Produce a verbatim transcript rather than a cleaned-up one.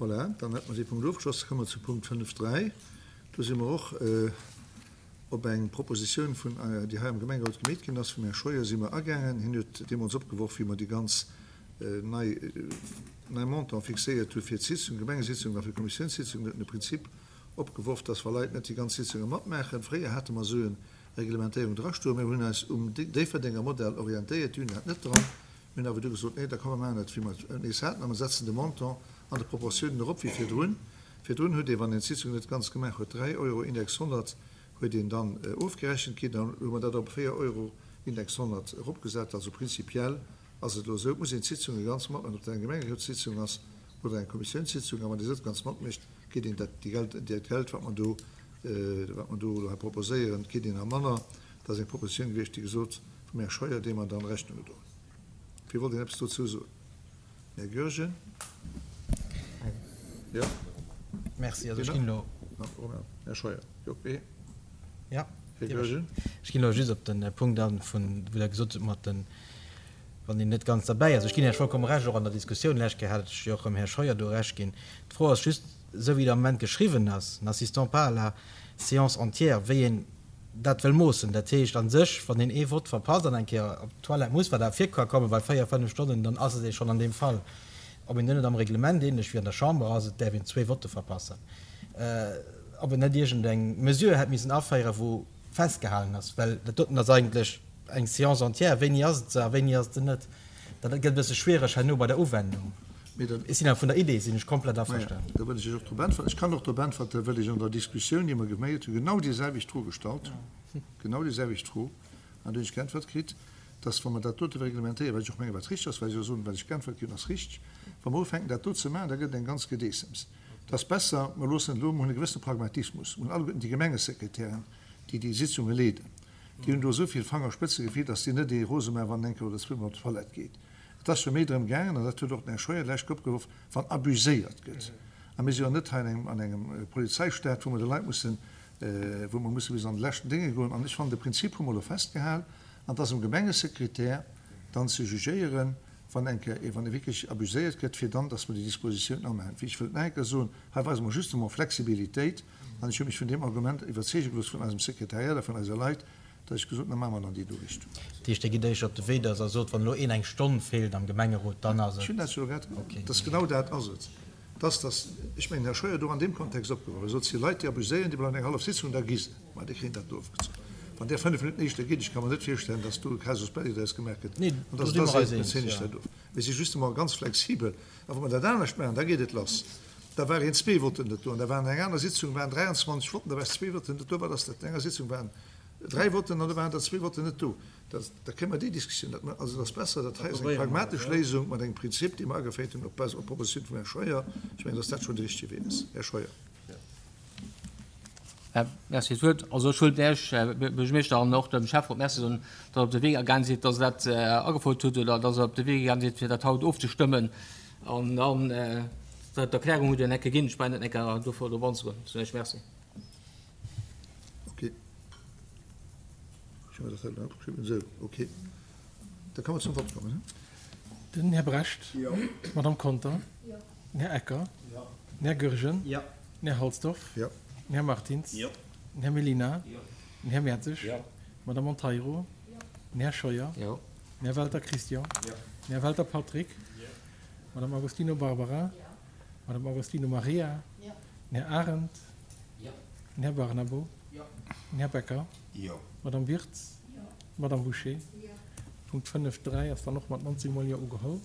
Voilà, dann hätte mer dee Punkt ofgeschloss. Da komme mer zu Punkt fënnef dräi. Do si mer och op eng Propositioun vun, déi hei am Gemengerot gemeet ginn ass, vum Här Scheuer si mer agaangen. Hien huet deemools opgeworf, wéi mer déi ganz nei, nei Montant fixéiert hu fir d'Sitzung, d'Gemengesitzung a fir d'Kommissiounssitzung, huet en de Prinzip opgeworf, dass wa Leit net déi ganz Sitzunge matmaachen, fréier hate mer esou eng Reglementéierung drastoen, mä mir hunn eis um Déifferdenger Modell orientéiert, déi hunn dat net dran. Mir hunn awer du gesot, nee, da komm mer maachen dat, wéi mer et nees haten, a mer setzen de Montant an de Proportiounen erop wéi virdrun. Virdrun huet ee, wann een d'Sitzung net ganz gemaach huet, dräi Euro Index honnert huet een dann ofgerechent kritt. Dann hu mer dat op véier Euro Index honnert eropgesat. Also prinzipiell ass et elo esou, et muss een d'Sitzunge ganz matmaachen, ob dat eng Gemengerotssitzung ass oder eng Kommissiounssitzung. A wann ee se net ganz matmécht, kritt een dat Geld, dat Geld, wat mer do, wat mer do elo hei proposéieren, kritt een a manner. Dat ass eng Propositioun gewiescht, déi gesot vum Här Scheuer, deem mer dann Rechnung gedroen hunn. Wie wollt een eppes dozou soen? Här Goergen? Jo. Merci. Also ech ginn elo. Här Scheuer. Jo, okay. Ja. Här Goergen. Ech ginn elo just op de Punkt an, vun, wou Der gesot hutt mat den, wann een net ganz derbäi ass. Ech ginn Iech vollkomme Recht, och an der Diskussioun lech Kéier hat ech jo och dem Här Scheuer do Recht ginn. D'Fro ass just, esou wéi et am Moment geschriwwen ass, n'assistant pas à la séance entière, wéi een dat wëll moossen. Dat heescht a sech, wann een ee Vott verpasst an eng Kéier op d'Toilette muss, wat awer vir ka kommen, bei véier, fënnef Stonnen, dann ass et ee schonn an deem Fall. Ob een dann net am Reglement, ähnlech wéi an der Chamber ass, et däerf een zwee Votte verpassen, ob een net iergendeng Mesure hätt missen aféieren, wou festgehalen ass, well dat doten ass eigentlech eng Séance entière, wéini ass et se a wéini ass et se net. Dat gëtt e bësse schwiereg herno bei der Uwendung. Ech sinn awer vun der Idee sinn ech komplett averstanen. Da wëll ech Iech och drop äntweren. Ech kann och drop äntwerte well ech an der Diskussioun, déi mer geméiert hunn, genau déi selwecht Fro gestallt hunn, genau déi selwecht Fro, an do hunn ech geäntwert kritt, dass, wa mer dat dote reglementéieren, wat ech och mengen, wat richteg ass, well ech och soen, wat ech geäntwert ginn hunn, ass richteg, wa mer ufänken dat do ze maachen, da gëtt et eng ganz Gedeessems. Et ass besser, mer loossen et elo, mer hunn e gewëssene Pragmatismus, mer hunn alleguerten déi Gemengesekretären, déi déi Sitzunge leeden, déi hunn do esou vill Fangerspëtzegefill, dass déi net ee rose maachen, wann en eng Kéier oder zweemol op d'Toilette geet. Et ass jo méi drëm gaangen, an dat huet och den Här Scheuer lech opgeworf, wann abuséiert gëtt. A mir si jo net hei an engem, an engem Polizeistaat, wou mer de Leit mussen, wou mer musse bis an de leschten Dénge goen. An ech fannen, de Prinzip hu mer elo festgehal, an et ass um Gemengesekretär dann ze jugéieren, wann eng Kéier, wann e wierklech abuséiert gëtt, fir dann, dass mer déi Dispositioun amaachen. Ech wëllt nach eng Kéier soen, hei weise mer justement Flexibilitéit, an ech hu mech vun deem Argument iwwerzeege gelooss vun eisem Sekretariat a vun eise Leit, Da ech gesot, da maache mer et an déi do Richtung. Dat heescht, Dir gitt éischter op de Wee, datt Der sot, wann elo een eng Stonn feelt am Gemengerot, dann ass et. Ech hunn dat jo elo grad gesot, dass genau dat ass et. Dass, dass, ech mengen, Här Scheuer huet och an deem Kontext opgeworf, e sot, et si Leit, déi abuséieren, déi bleiwen eng hallef Sitzung, da gi se. Ma déi kréien dat do ofgezunn. Wann där fënnef Minutten éischter geet, ech ka mer net virstellen, dass do e Casus belli draus gemaach gëtt, Nee, an do dass si et da mer eis seet, mir eens, zéien iech jo. dat of. Mir si justement ganz flexibel. A wa mer dat anescht maachen, da geet et lass. Da war een zwee Votten net do an da waren an enger aner Sitzung waren dräianzwanzeg Votten, da war zwee Votten net do. Wat ass dat? An enger Sitzung waren dräi Votten an da waren der zwee Votten net do. Da, da kréie mer déi Diskussioun net. Also et ass besser, dat hei ass eng pragmatesch Léisung mat engem Prinzip, dee mer ageféiert hunn op Base, op Propositioun vum Här Scheuer. Ech mengen, dass dat schonn de richtige Wee ass. Här Scheuer. Merci fir d'Wuert. Also ech wëllt Iech, Här Buergermeeschter, an och dem Schäfferot Merci soen, datt Der op de Wee gaange sidd, datt Der dat agefouert hutt oder datt Der op de Wee gaange sidd, fir dat haut ofzestëmmen. An dann d'Erklärung hutt Der enke ginn. Ech brauch net enker dofir drop anzegoen. Ech soen Iech Merci. Okay. Ech hu mir dat hei opgeschriwwen. Esou, okay. Da kann mer zum Vott kommen. Den Här Brecht. Jo. D'Madame Conter. Jo. Den Här Ecker. Jo. Den Här Goergen. Jo. Den Här Halsdorf. Jo. Den Här Martins. Jo. Den Här Mellina. Jo. Den Här Mertzig. Jo. D'Madame Monteiro. Jo. Den Här Scheuer. Jo. Den Här Welter Christian. Jo. Den Här Welter Patrick. Jo. D'Madame Agostino Barbara. Jo. D'Madame Agostino Maria. Jo. Den Här Arendt. Jo. Den Här Barnabo. Jo. Den Här Becker. Jo. D'Madame Wirtz. Jo. D'Madame Bouché. Jo. Punkt fënnef dräi ass dann och mat nonzéng mol Jo ugeholl.